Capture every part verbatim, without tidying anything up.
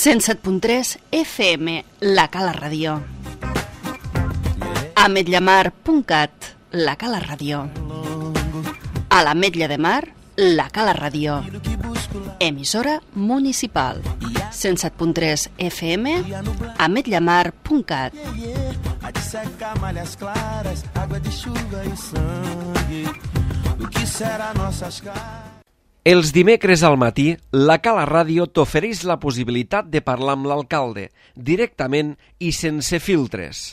cent set punt tres F M, La Cala Ràdio. ametlla mar punt cat, La Cala Ràdio. A l'Ametlla de Mar, La Cala Ràdio. Emissora municipal. cent set punt tres F M, ametlla mar punt cat. Els dimecres al matí, La Cala Ràdio t'ofereix la possibilitat de parlar amb l'alcalde, directament i sense filtres.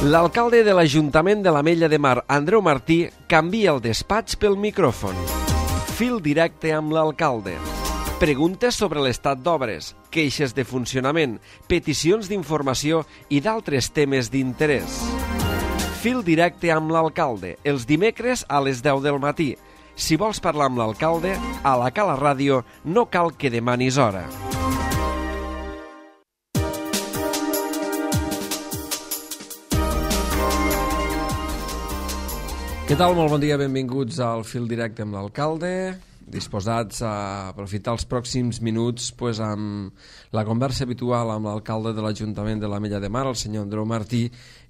L'alcalde de l'Ajuntament de l'Ametlla de Mar, Andreu Martí, canvia el despatx pel micròfon. Fil directe amb l'alcalde. Preguntes sobre l'estat d'obres, queixes de funcionament, peticions d'informació i d'altres temes d'interès. Fil directe amb l'alcalde, els dimecres a les deu del matí. Si vols parlar amb l'alcalde, a La Cala Ràdio no cal que demanis hora. Què tal? Molt bon dia, benvinguts al Fil Directe amb l'alcalde, disposats a aprofitar els pròxims minuts pues, amb la conversa habitual amb l'alcalde de l'Ajuntament de l'Ametlla de Mar, el senyor Andreu Martí,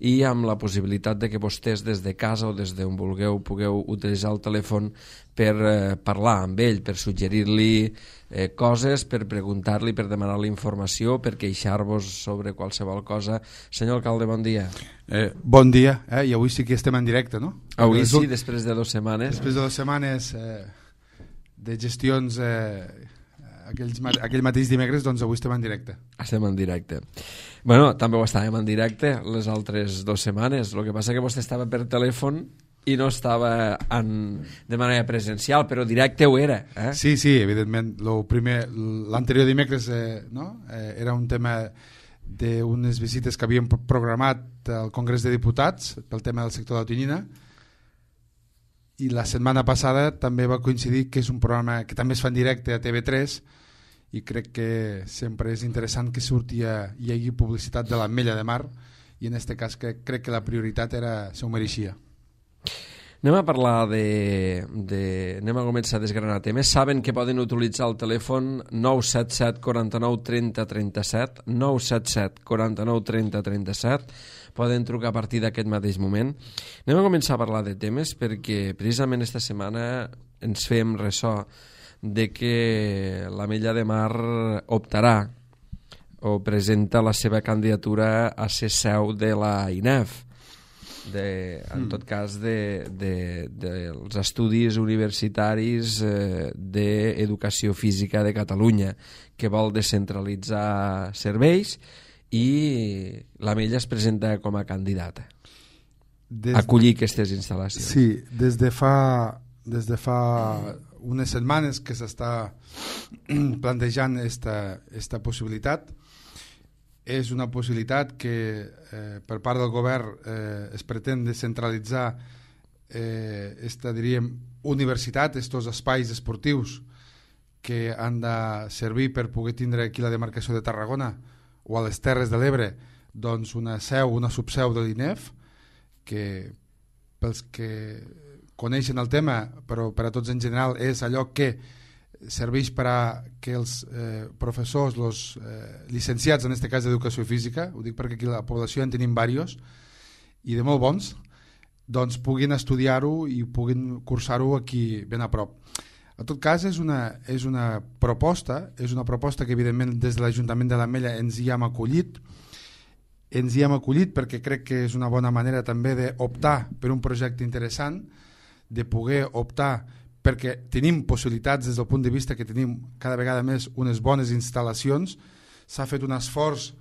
i amb la possibilitat de que vostès des de casa o des d'on vulgueu pugueu utilitzar el telèfon per eh, parlar amb ell, per suggerir-li eh, coses, per preguntar-li, per demanar-li informació, per queixar-vos sobre qualsevol cosa. Senyor alcalde, bon dia. Eh, bon dia, eh? I avui sí que estem en directe, no? Avui sí, després de dues setmanes. Després de dues setmanes eh, de gestions eh, aquells, aquell mateix dimecres, doncs avui estem en directe. Estem en directe. Bueno, també ho estàvem en directe les altres dues setmanes, el que passa que vostè estava per telèfon i no estava en, de manera presencial, però directe ho era. Eh? Sí, sí, evidentment. L'anterior dimecres eh, no? eh, era un tema d'unes visites que havíem programat al Congrés de Diputats pel tema del sector de la tonyina, i la setmana passada també va coincidir que és un programa que també es fa en directe a T V tres, i crec que sempre és interessant que surti a, hi hagi publicitat de l'Ametlla de Mar, i en aquest cas que crec que la prioritat era, s'ho mereixia. Anem a parlar de, de... Anem a començar a desgranar temes. Saben que poden utilitzar el telèfon nou set set quatre nou trenta trenta set, nou set set quatre nou trenta trenta set. Poden trucar a partir d'aquest mateix moment. Anem a començar a parlar de temes perquè precisament esta setmana ens fem ressò de que l'Ametlla de Mar optarà o presenta la seva candidatura a ser seu de la I N E F. De, en tot cas de, de, dels estudis universitaris eh, d'educació física de Catalunya, que vol descentralitzar serveis, i l'Ametlla es presenta com a candidata a acollir aquestes instal·lacions. Sí, des de fa, des de fa unes setmanes que s'està plantejant esta, esta possibilitat. És una possibilitat que eh, per part del govern eh, es pretén descentralitzar eh, esta, diríem, universitat, estos espais esportius que han de servir per poder tindre aquí la demarcació de Tarragona o a les Terres de l'Ebre, doncs una seu, una subseu de l'I N E F, que pels que coneixen el tema, però per a tots en general, és allò que serveix per a que els eh, professors, els eh, llicenciats, en aquest cas d'educació física, ho dic perquè aquí la població en tenim diversos, i de molt bons, doncs puguin estudiar-ho i puguin cursar-ho aquí ben a prop. En tot cas, és una, és una proposta, és una proposta que evidentment des de l'Ajuntament de l'Ametlla ens hi hem acollit, ens hi hem acollit perquè crec que és una bona manera també d'optar per un projecte interessant, de poder optar perquè tenim possibilitats des del punt de vista que tenim cada vegada més unes bones instal·lacions, s'ha fet un esforç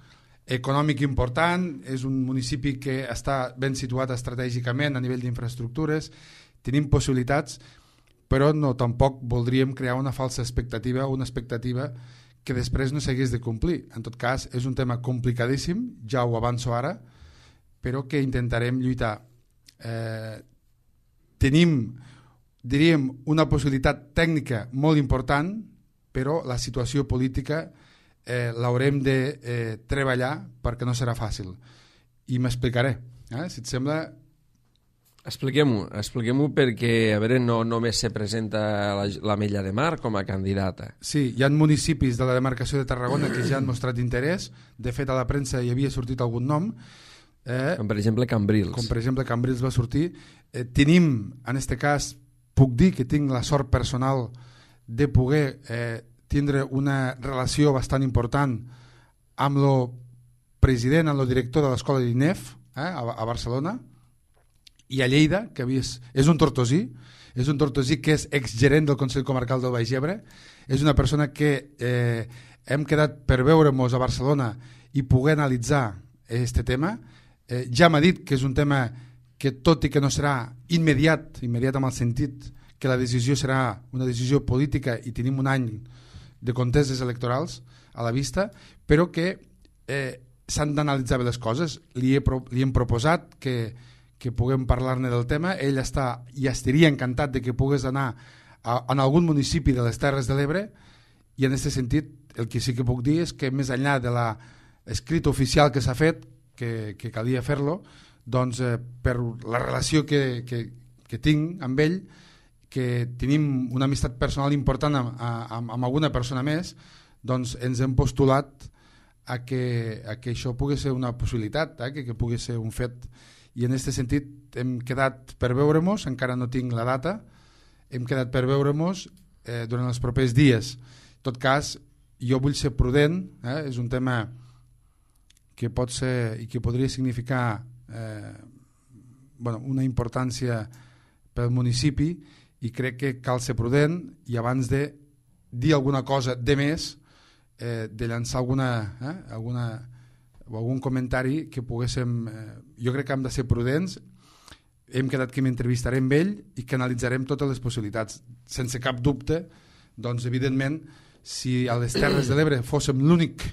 econòmic important, és un municipi que està ben situat estratègicament a nivell d'infraestructures, tenim possibilitats, però no tampoc voldríem crear una falsa expectativa, una expectativa que després no s'hagués de complir. En tot cas, és un tema complicadíssim, ja ho avanço ara, però que intentarem lluitar. Eh, tenim diríem, una possibilitat tècnica molt important, però la situació política eh, l'haurem de eh, treballar perquè no serà fàcil. I m'explicaré. Eh? Si et sembla, Expliquem-ho, expliquem-ho perquè, a veure, no només se presenta la, l'Ametlla de Mar com a candidata. Sí, hi ha municipis de la demarcació de Tarragona que ja han mostrat interès. De fet, a la premsa hi havia sortit algun nom. Eh, Com per exemple Cambrils. Com per exemple Cambrils va sortir. Eh, tenim, en aquest cas, puc dir que tinc la sort personal de poder eh, tindre una relació bastant important amb el president, amb el director de l'escola d'I N E F eh, a, a Barcelona, i a Lleida, que és, és un tortosí, és un tortosí que és exgerent del Consell Comarcal del Baix Ebre, és una persona que eh, hem quedat per veure-nos a Barcelona i poder analitzar aquest tema. Eh, ja m'ha dit que és un tema que, tot i que no serà immediat, immediat amb el sentit que la decisió serà una decisió política i tenim un any de conteses electorals a la vista, però que eh, s'han d'analitzar bé les coses. Li, he, li hem proposat que que puguem parlar-ne del tema. Ell està i estaria encantat de que pugues anar a, en algun municipi de les Terres de l'Ebre, i en aquest sentit el que sí que puc dir és que més enllà de l'escrit oficial que s'ha fet, que, que calia fer-lo, doncs eh, per la relació que, que, que tinc amb ell, que tenim una amistat personal important amb, amb, amb alguna persona més, doncs ens hem postulat a que, a que això pugui ser una possibilitat, eh, que, que pugui ser un fet. I en aquest sentit hem quedat per veure-nos, encara no tinc la data, hem quedat per veure-nos eh, durant els propers dies. En tot cas, jo vull ser prudent, eh, és un tema que pot ser i que podria significar eh, bueno, una importància pel municipi, i crec que cal ser prudent i abans de dir alguna cosa de més, eh, de llançar alguna... Eh, alguna o algun comentari que poguéssim... Eh, jo crec que hem de ser prudents, hem quedat que m'entrevistaré amb ell i que analitzarem totes les possibilitats. Sense cap dubte, doncs evidentment, si a les Terres de l'Ebre fóssim l'únic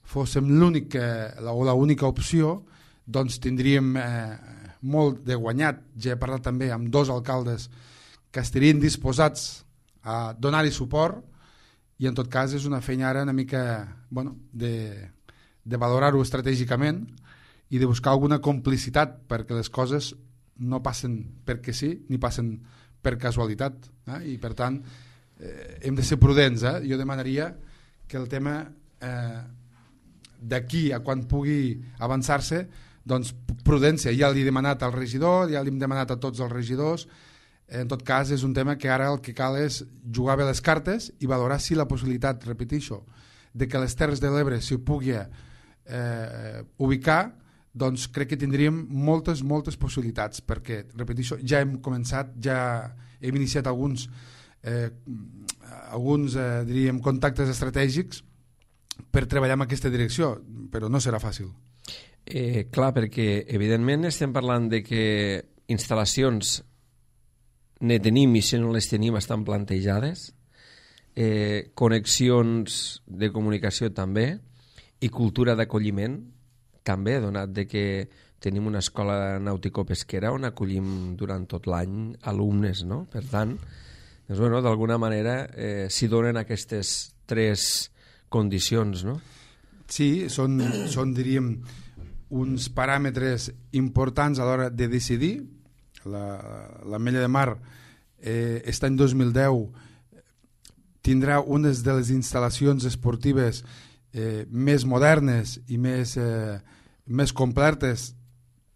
fóssim l'únic eh, o l'única opció, doncs tindríem eh, molt de guanyat. Ja he parlat també amb dos alcaldes que estarien disposats a donar-hi suport, i en tot cas és una feina ara una mica bueno, de... de valorar-ho estratègicament i de buscar alguna complicitat perquè les coses no passen perquè sí ni passen per casualitat, eh? I per tant eh, hem de ser prudents. Eh? Jo demanaria que el tema eh, d'aquí a quan pugui avançar-se, doncs prudència. Ja l'he demanat al regidor, ja l'hem demanat a tots els regidors. En tot cas és un tema que ara el que cal és jugar bé les cartes i valorar si la possibilitat, repeteixo, de que les Terres de l'Ebre s'hi pugui Eh, ubicar, doncs crec que tindríem moltes, moltes possibilitats, perquè, repeteixo, ja hem començat, ja hem iniciat alguns eh, alguns, eh, diríem, contactes estratègics per treballar en aquesta direcció, però no serà fàcil. Eh, clar, perquè evidentment estem parlant de que instal·lacions ne tenim i si no les tenim estan plantejades, eh, connexions de comunicació també, i cultura d'acolliment també, donat de que tenim una escola nàutico-pesquera on acollim durant tot l'any alumnes, no? Per tant, doncs, bueno, d'alguna manera eh, s'hi donen aquestes tres condicions, no? Sí, són, són diríem, uns paràmetres importants a l'hora de decidir. L'Ametlla de Mar eh, aquest any dos mil deu tindrà unes de les instal·lacions esportives Eh, més modernes i més, eh, més completes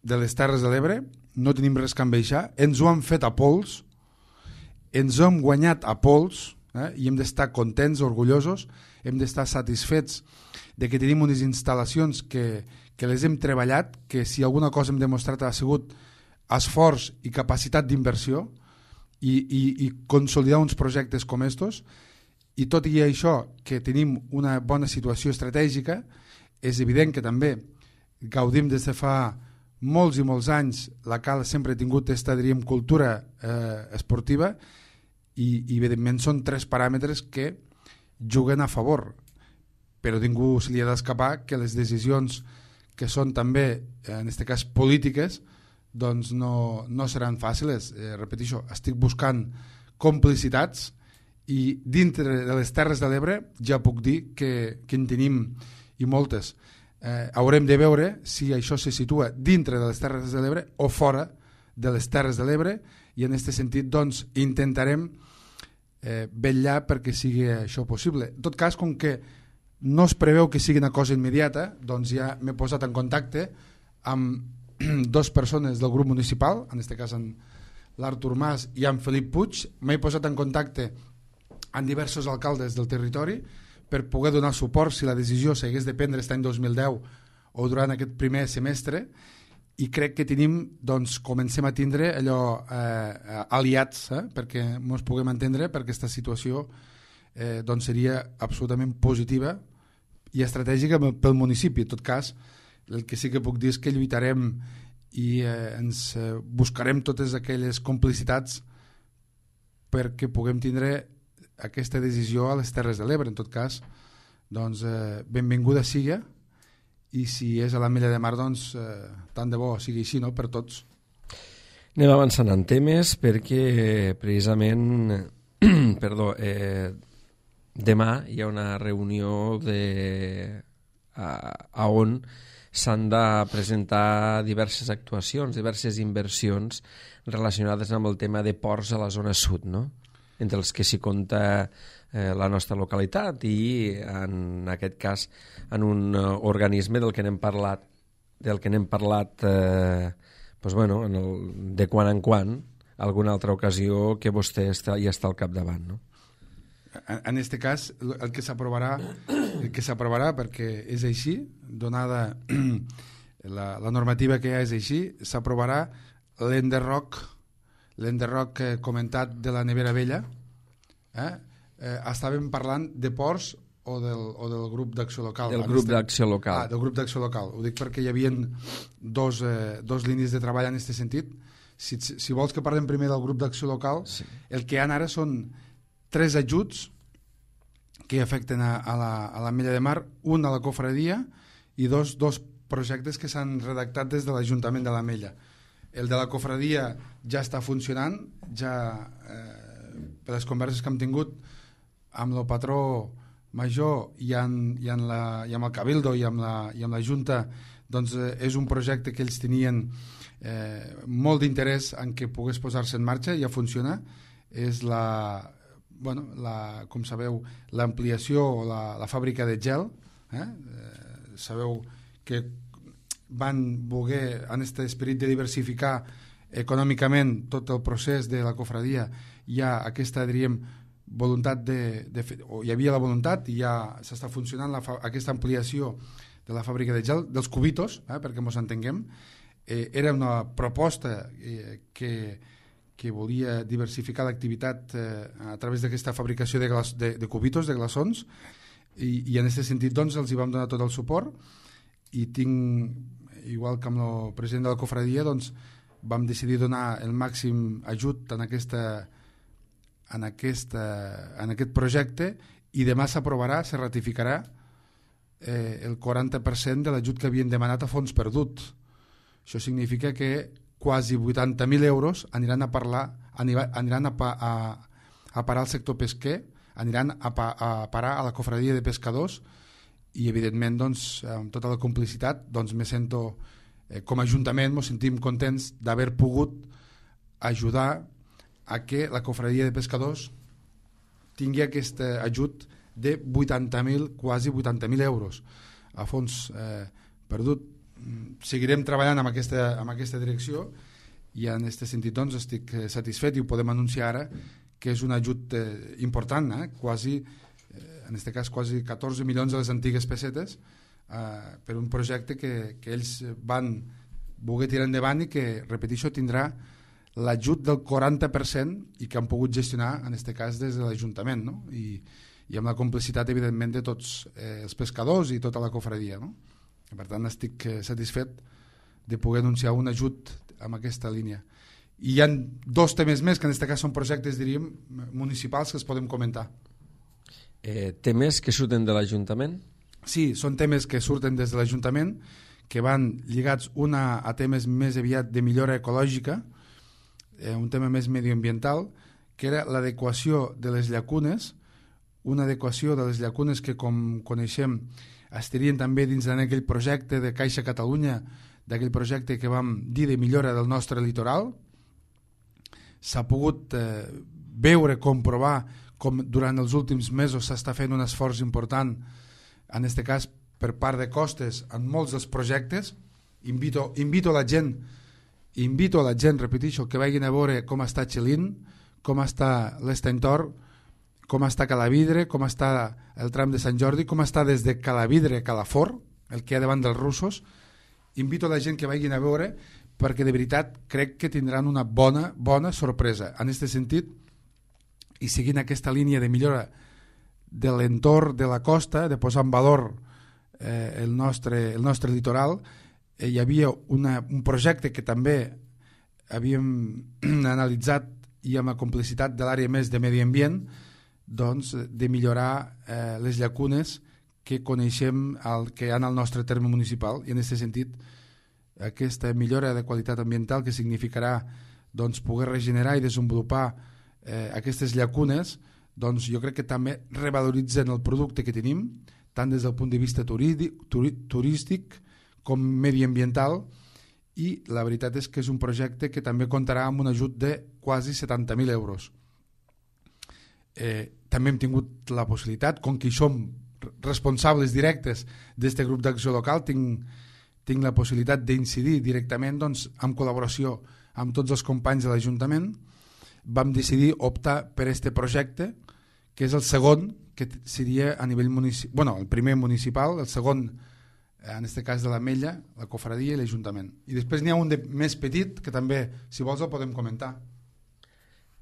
de les Terres de l'Ebre. No tenim res que envejar, ens ho han fet a pols, ens ho hem guanyat a pols, eh, i hem d'estar contents, orgullosos, hem d'estar satisfets de que tenim unes instal·lacions que, que les hem treballat, que si alguna cosa hem demostrat ha sigut esforç i capacitat d'inversió i, i, i consolidar uns projectes com estos. I tot i això, que tenim una bona situació estratègica, és evident que també gaudim des de fa molts i molts anys, la Cala sempre ha tingut aquesta, diríem, cultura eh, esportiva, i, i evidentment són tres paràmetres que juguen a favor, però ningú se li ha d'escapar que les decisions que són també, en aquest cas polítiques, doncs no, no seran fàcils. Eh, repeteixo, estic buscant complicitats, i dintre de les Terres de l'Ebre ja puc dir que, que en tenim i moltes. Eh, haurem de veure si això se situa dintre de les Terres de l'Ebre o fora de les Terres de l'Ebre, i en aquest sentit doncs, intentarem eh, vetllar perquè sigui això possible. En tot cas, com que no es preveu que sigui una cosa immediata, doncs ja m'he posat en contacte amb dues persones del grup municipal, en aquest cas en l'Artur Mas i amb Felip Puig. M'he posat en contacte amb diversos alcaldes del territori per poder donar suport si la decisió s'hagués de prendre aquest any dos mil deu o durant aquest primer semestre, i crec que tenim, doncs, comencem a tindre allò eh, aliats eh, perquè ens puguem entendre, perquè aquesta situació eh, doncs seria absolutament positiva i estratègica pel municipi. En tot cas, el que sí que puc dir és que lluitarem i eh, ens eh, buscarem totes aquelles complicitats perquè puguem tindre aquesta decisió a les Terres de l'Ebre. En tot cas, doncs, eh, benvinguda siga, i si és a l'Ametlla de Mar, doncs eh, tant de bo sigui així, no?, per tots. Anem avançant en temes perquè precisament perdó, eh, demà hi ha una reunió de, a, a on s'han de presentar diverses actuacions, diverses inversions relacionades amb el tema de ports a la zona sud, no?, entre els que s'hi compta eh, la nostra localitat i en aquest cas en un uh, organisme del que n'hem parlat del que n'hem parlat eh, doncs, bueno, en el, de quan en quan alguna altra ocasió que vostè està, hi està al capdavant, no? En aquest cas, el que s'aprovarà el que s'aprovarà, perquè és així, donada la, la normativa que hi ha és així, s'aprovarà l'enderroc l'enderroc eh, comentat de la Nevera Vella. Eh? Eh, estàvem parlant de ports o del, o del grup d'acció local. Del grup d'acció local. Ah, del grup d'acció local. Ho dic perquè hi havia dos, eh, dos línies de treball en aquest sentit. Si, si vols que parlem primer del grup d'acció local, sí. El que hi ha ara són tres ajuts que afecten a, a la, a l'Ametlla de Mar, un a la cofradia i dos, dos projectes que s'han redactat des de l'Ajuntament de l'Ametlla. El de la cofradia ja està funcionant, ja eh, per les converses que hem tingut amb el patró major i, en, i, en la, i amb el Cabildo i amb la, i amb la Junta, doncs eh, és un projecte que ells tenien eh, molt d'interès en què pogués posar-se en marxa, ja funciona. És la, bueno, la, com sabeu, l'ampliació o la, la fàbrica de gel. Eh? Eh, sabeu que van voler, en aquest esperit de diversificar econòmicament tot el procés de la cofradia, hi ha aquesta, diríem, voluntat de, de fer, o hi havia la voluntat i ja s'està funcionant la, aquesta ampliació de la fàbrica de gel, dels cubitos, eh, perquè ens entenguem. Eh, era una proposta eh, que, que volia diversificar l'activitat eh, a través d'aquesta fabricació de, glas, de, de cubitos, de glaçons, i, i en aquest sentit doncs, els hi vam donar tot el suport, i tinc, igual que amb el president de la cofradia, doncs, vam decidir donar el màxim ajut en, aquesta, en, aquesta, en aquest projecte, i demà s'aprovarà, se ratificarà eh, el quaranta per cent de l'ajut que havien demanat a fons perdut. Això significa que quasi vuitanta mil euros aniran a, parlar, aniran a, pa, a, a parar al sector pesquer, aniran a, pa, a parar a la cofradia de pescadors, i evidentment doncs, amb tota la complicitat doncs, me sento, eh, com a Ajuntament ens sentim contents d'haver pogut ajudar a que la cofradia de pescadors tingui aquest ajut de vuitanta mil, quasi vuitanta mil euros a fons eh, perdut. Seguirem treballant amb aquesta, amb aquesta direcció, i en aquest sentit doncs, estic satisfet i ho podem anunciar ara, que és un ajut eh, important, eh, quasi en aquest cas quasi catorze milions de les antigues pessetes eh, per un projecte que, que ells van voler tirar endavant i que, repeteixo, tindrà l'ajut del quaranta per cent i que han pogut gestionar en aquest cas des de l'Ajuntament, no? I, i amb la complicitat evidentment de tots eh, els pescadors i tota la cofradia, no? Per tant estic eh, satisfet de poder anunciar un ajut amb aquesta línia. I hi ha dos temes més que en aquest cas són projectes, diríem, municipals que els podem comentar. Eh, temes que surten de l'Ajuntament? Sí, són temes que surten des de l'Ajuntament, que van lligats una a temes més aviat de millora ecològica, eh, un tema més medioambiental, que era l'adequació de les llacunes, una adequació de les llacunes que, com coneixem, estarien també dins d'aquell projecte de Caixa Catalunya, d'aquell projecte que vam dir de millora del nostre litoral, s'ha pogut eh, veure, comprovar com durant els últims mesos s'està fent un esforç important, en aquest cas per part de Costes, en molts dels projectes. Invito, invito la gent, invito a la gent, repeteixo, que vagin a veure com està Xelin, com està l'Estentor, com està Calavidre, com està el tram de Sant Jordi, com està des de Calavidre a Calafort, el que hi ha davant dels russos. Invito a la gent que vagin a veure, perquè de veritat crec que tindran una bona, bona sorpresa. En aquest sentit, i seguint aquesta línia de millora de l'entorn de la costa, de posar en valor eh, el, nostre, el nostre litoral, eh, hi havia una, un projecte que també havíem analitzat i amb la complicitat de l'àrea més de medi ambient, doncs, de millorar eh, les llacunes que coneixem el, que hi ha al nostre terme municipal, i en aquest sentit aquesta millora de qualitat ambiental que significarà doncs, poder regenerar i desenvolupar eh, aquestes llacunes, doncs jo crec que també revaloritzen el producte que tenim, tant des del punt de vista turístic, turístic com mediambiental, i la veritat és que és un projecte que també comptarà amb un ajut de quasi setanta mil euros. Eh, també hem tingut la possibilitat, com que som responsables directes d'aquest grup d'acció local, tinc, tinc la possibilitat d'incidir directament doncs, en col·laboració amb tots els companys de l'Ajuntament. Vam decidir optar per aquest projecte, que és el segon, que seria a nivell municipal, bueno, el primer municipal, el segon, en aquest cas de l'Ametlla, la Cofradia i l'Ajuntament. I després n'hi ha un de més petit, que també, si vols, el podem comentar.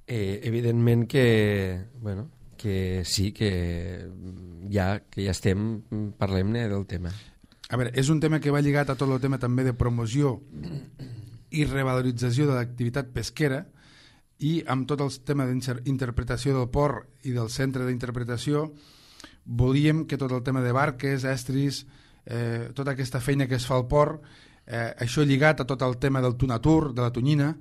Eh, evidentment que, bueno, que sí, que ja, que ja estem, parlem-ne del tema. A veure, és un tema que va lligat a tot el tema també de promoció i revalorització de l'activitat pesquera, i amb tot el tema d'interpretació del port i del centre d'interpretació volíem que tot el tema de barques, estris, eh, tota aquesta feina que es fa al port, eh, això lligat a tot el tema del tunatur, de la tonyina,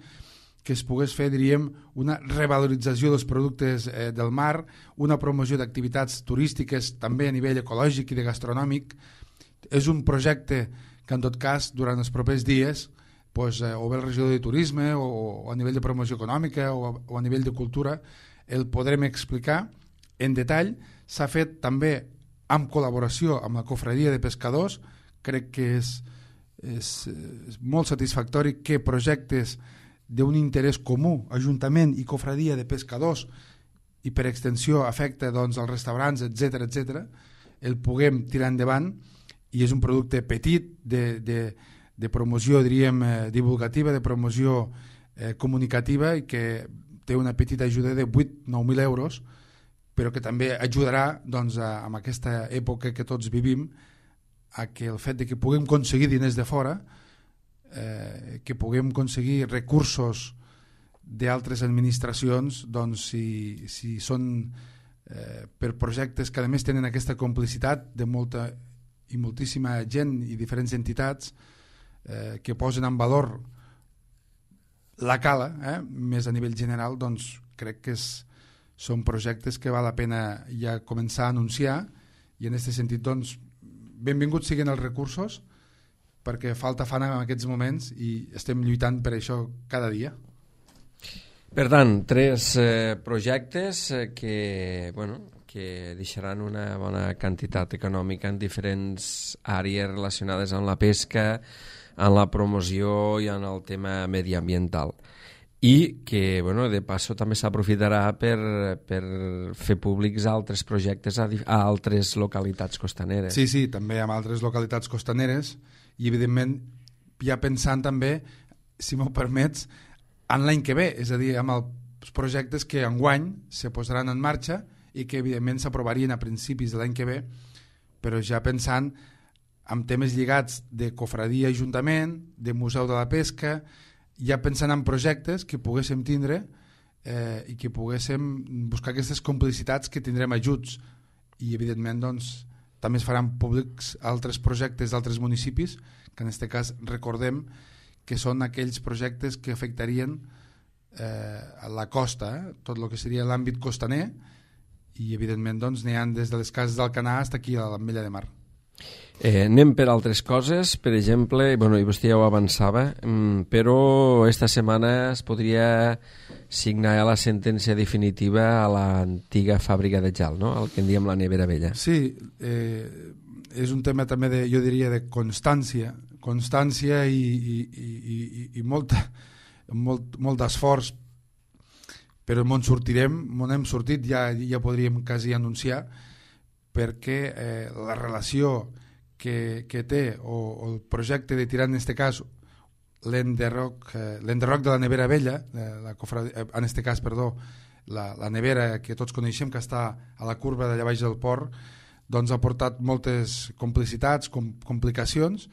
que es pogués fer, diríem, una revalorització dels productes eh, del mar, una promoció d'activitats turístiques també a nivell ecològic i de gastronòmic. És un projecte que en tot cas durant els propers dies pues, eh, o bé el regidor de turisme o, o a nivell de promoció econòmica o a, o a nivell de cultura el podrem explicar en detall. S'ha fet també amb col·laboració amb la Cofradia de Pescadors. Crec que és, és, és molt satisfactori que projectes d'un interès comú, Ajuntament i Cofradia de Pescadors, i per extensió afecta doncs, els restaurants, etcètera, etcètera, el puguem tirar endavant, i és un producte petit de, de, de promoció, diríem, eh, divulgativa, de promoció eh, comunicativa, i que té una petita ajuda de vuit a nou mil euros, però que també ajudarà doncs, a, a aquesta època que tots vivim, a que el fet de que puguem aconseguir diners de fora, eh, que puguem aconseguir recursos d'altres administracions, doncs si, si són eh, per projectes que a més tenen aquesta complicitat de molta i moltíssima gent i diferents entitats eh, que posen en valor la cala, eh, més a nivell general, doncs crec que és, són projectes que val la pena ja començar a anunciar, i en aquest sentit doncs benvinguts siguin els recursos, perquè falta fan en aquests moments i estem lluitant per això cada dia. Per tant, tres eh, projectes eh, que, bueno, que deixaran una bona quantitat econòmica en diferents àrees relacionades amb la pesca, en la promoció i en el tema mediambiental. I que, bueno, de passo també s'aprofitarà per, per fer públics altres projectes a, a altres localitats costaneres. Sí, sí, també amb altres localitats costaneres, i evidentment ja pensant també, si m'ho permets, en l'any que ve, és a dir, amb els projectes que enguany se posaran en marxa i que evidentment s'aprovarien a principis de l'any que ve, però ja pensant en temes lligats de cofradia ajuntament, de museu de la pesca, ja pensant en projectes que poguéssim tindre eh, i que poguéssim buscar aquestes complicitats que tindrem ajuts, i evidentment doncs també es faran públics altres projectes d'altres municipis, que en aquest cas recordem que són aquells projectes que afectarien eh, a la costa, eh, tot el que seria l'àmbit costaner, i evidentment doncs n'hi ha des de les cases d'Alcanar fins aquí a l'Ametlla de Mar. Eh, anem per altres coses, per exemple, bueno, i vostè ja ho avançava, però esta setmana es podria signar la sentència definitiva a l'antiga fàbrica de gel, no? El que en diem la nevera vella. Sí, eh, és un tema també, de, jo diria, de constància, constància i, i, i, i, i molt, molt, molt d'esforç, però on sortirem, on hem sortit, ja, ja podríem quasi anunciar, perquè eh, la relació que, que té, o, o el projecte de tirar, en aquest cas, l'enderroc eh, l'enderroc de la nevera vella, eh, la cofrad... eh, en aquest cas, perdó, la, la nevera que tots coneixem, que està a la curva d'allà baix del port, doncs ha portat moltes complicitats, com, complicacions.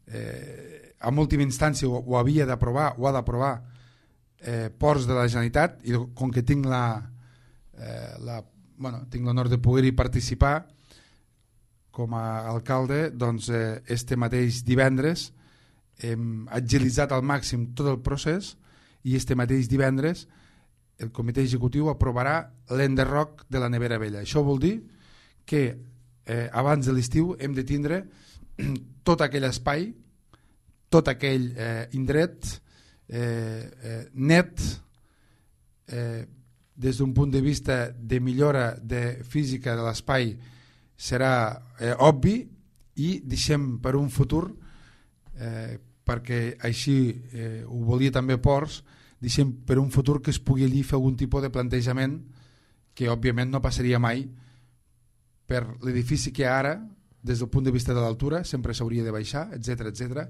Eh, en última instància ho, ho havia d'aprovar, ho ha d'aprovar eh, Ports de la Generalitat, i com que tinc la, eh, la bueno, tinc l'honor de poder-hi participar com a alcalde, doncs eh, este mateix divendres hem agilitzat al màxim tot el procés, i este mateix divendres el comitè executiu aprovarà l'enderroc de la nevera vella. Això vol dir que eh, abans de l'estiu hem de tindre tot aquell espai, tot aquell eh, indret eh, eh, net, eh, des d'un punt de vista de millora de física de l'espai serà eh, obvi, i deixem per un futur, eh, perquè així eh, ho volia també Ports, deixem per un futur que es pugui allí fer algun tipus de plantejament que òbviament no passaria mai per l'edifici que ara, des del punt de vista de l'altura, sempre s'hauria de baixar, etcètera, etcètera,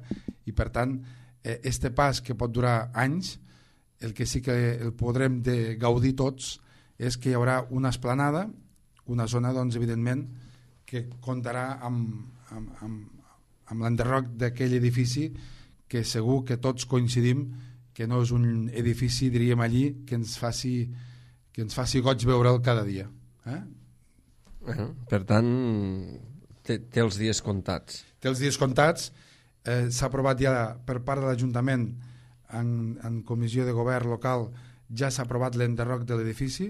i per tant eh, este pas que pot durar anys, el que sí que el podrem de gaudir tots és que hi haurà una esplanada, una zona, doncs, evidentment, que comptarà amb, amb, amb, amb l'enderroc d'aquell edifici, que segur que tots coincidim que no és un edifici, diríem allí, que ens faci, que ens faci goig veure'l cada dia. Eh? Uh-huh. Per tant, té, té els dies comptats. Té els dies comptats. Eh, s'ha aprovat ja per part de l'Ajuntament, en, en comissió de govern local, ja s'ha aprovat l'enderroc de l'edifici,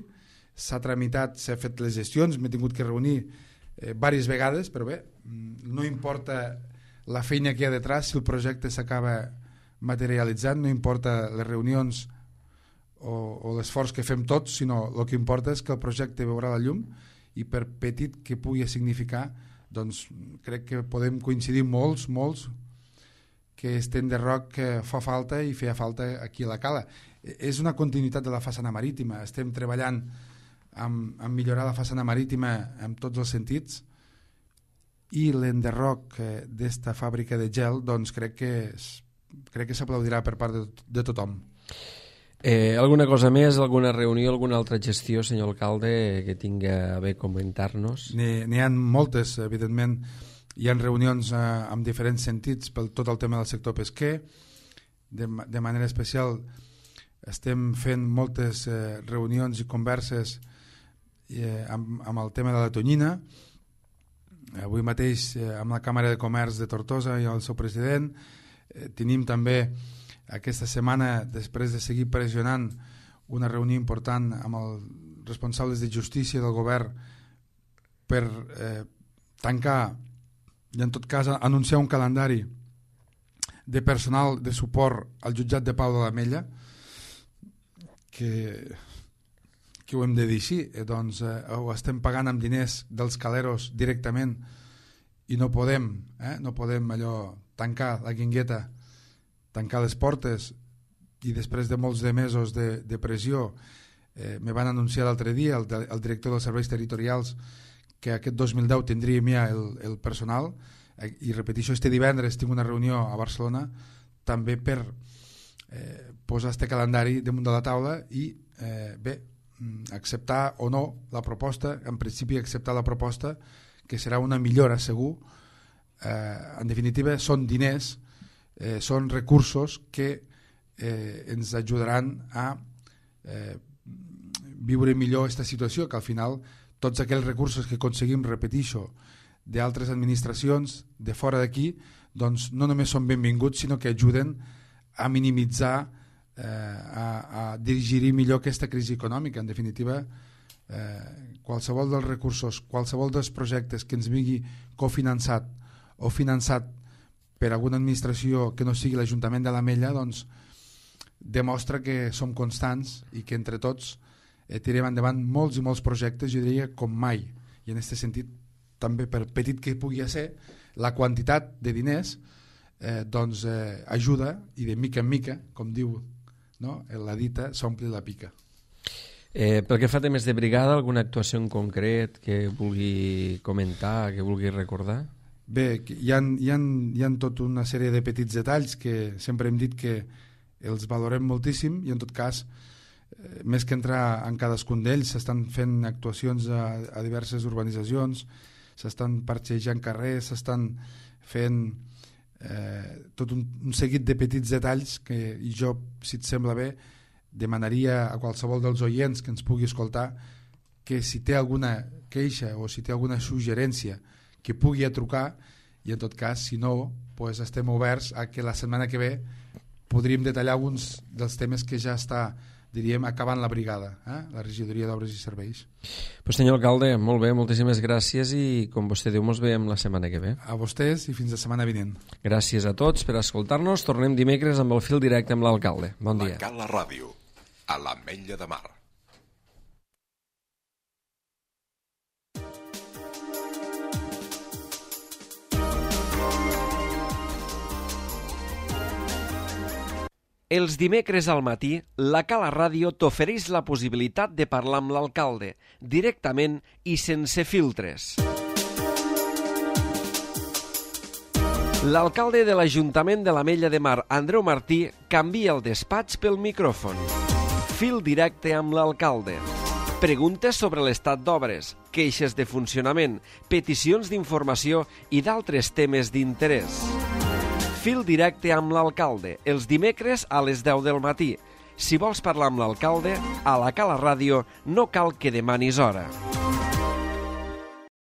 s'ha tramitat, s'ha fet les gestions, m'he tingut que reunir eh, diverses vegades, però bé, no importa la feina que hi ha detrás, si el projecte s'acaba materialitzant, no importa les reunions o, o l'esforç que fem tots, sinó el que importa és que el projecte veurà la llum, i per petit que pugui significar, doncs crec que podem coincidir molts, molts, que este enderroc fa falta i feia falta aquí a la Cala. És una continuïtat de la façana marítima, estem treballant amb, amb millorar la façana marítima en tots els sentits, i l'enderroc d'esta fàbrica de gel, doncs crec que crec que s'aplaudirà per part de, de tothom. Eh, alguna cosa més, alguna reunió, alguna altra gestió, senyor alcalde, que tinga a bé comentar-nos? N'hi ha moltes, evidentment. Hi ha reunions eh, amb diferents sentits per tot el tema del sector pesquer. De, de manera especial estem fent moltes eh, reunions i converses eh, amb, amb el tema de la tonyina. Avui mateix eh, amb la Càmera de Comerç de Tortosa i el seu president eh, tenim també aquesta setmana, després de seguir pressionant, una reunió important amb els responsables de justícia del govern per eh, tancar i en tot cas anunciar un calendari de personal de suport al jutjat de pau de l'Ametlla, que, que ho hem de dir així, eh, doncs eh, ho estem pagant amb diners dels caleros directament i no podem, eh, no podem allò tancar la guingueta, tancar les portes, i després de molts de mesos de, de pressió eh, me van anunciar l'altre dia el, el director dels serveis territorials que aquest dos mil deu tindríem ja el, el personal, eh, i repeteixo, este divendres tinc una reunió a Barcelona també per eh, posar este calendari damunt de la taula i eh, bé, acceptar o no la proposta, en principi acceptar la proposta, que serà una millora segur. Eh, en definitiva són diners, Eh, són recursos que eh, ens ajudaran a eh, viure millor aquesta situació, que al final tots aquells recursos que aconseguim, repetixo, d'altres administracions de fora d'aquí, doncs no només són benvinguts, sinó que ajuden a minimitzar, eh, a, a dirigir millor aquesta crisi econòmica. En definitiva, eh, qualsevol dels recursos, qualsevol dels projectes que ens vingui cofinançat o finançat per alguna administració que no sigui l'Ajuntament de l'Ametlla, doncs demostra que som constants i que entre tots eh, tirem endavant molts i molts projectes, jo diria com mai, i en aquest sentit també per petit que pugui ser la quantitat de diners eh, doncs eh, ajuda, i de mica en mica, com diu, no? La dita s'ompli la pica. Eh, pel que fa a temes de brigada, alguna actuació en concret que vulgui comentar, que vulgui recordar? Bé, hi ha, hi ha, hi ha tota una sèrie de petits detalls que sempre hem dit que els valorem moltíssim, i en tot cas eh, més que entrar en cadascun d'ells s'estan fent actuacions a, a diverses urbanitzacions, s'estan parxejant carrers, s'estan fent eh, tot un, un seguit de petits detalls que i jo, si et sembla bé, demanaria a qualsevol dels oients que ens pugui escoltar que si té alguna queixa o si té alguna suggerència que pugui trucar, i en tot cas si no, pues estem oberts a que la setmana que ve podríem detallar alguns dels temes que ja està, diríem, acabant la brigada, eh? La regidoria d'Obres i Serveis. Pues senyor alcalde, molt bé, moltíssimes gràcies, i com vostè diu, mos veiem la setmana que ve. A vostès i fins la setmana vinent. Gràcies a tots per escoltar-nos. Tornem dimecres amb el fil directe amb l'alcalde. Bon dia. La Cala Ràdio, a l'Ametlla de Mar. Els dimecres al matí, la Cala Ràdio t'ofereix la possibilitat de parlar amb l'alcalde, directament i sense filtres. L'alcalde de l'Ajuntament de l'Ametlla de Mar, Andreu Martí, canvia el despatx pel micròfon. Fil directe amb l'alcalde. Preguntes sobre l'estat d'obres, queixes de funcionament, peticions d'informació i d'altres temes d'interès. Fil directe amb l'alcalde, els dimecres a les deu del matí. Si vols parlar amb l'alcalde, a la Cala Ràdio no cal que demanis hora.